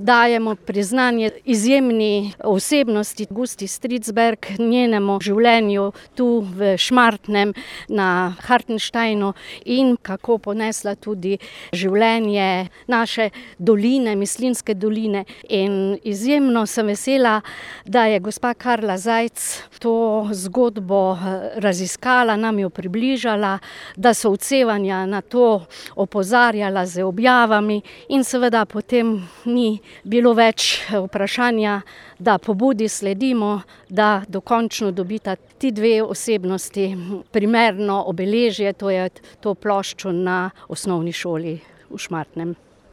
Dajemo priznanje izjemni osebnosti Gusti Stridsberg, njenemu življenju tu v Šmartnem na Hartensteinu in kako ponesla tudi življenje naše doline, Mislinjske doline. In izjemno sem vesela, da je gospa Karla Zajc to zgodbo raziskala, nam jo približala, da so odsevanja na to opozarjala z objavami in seveda potem ni bilo več vprašanja, da pobudi sledimo, da dokončno dobita ti dve osebnosti primerno obeležje, to je to ploščo na osnovni šoli v Šmartnem.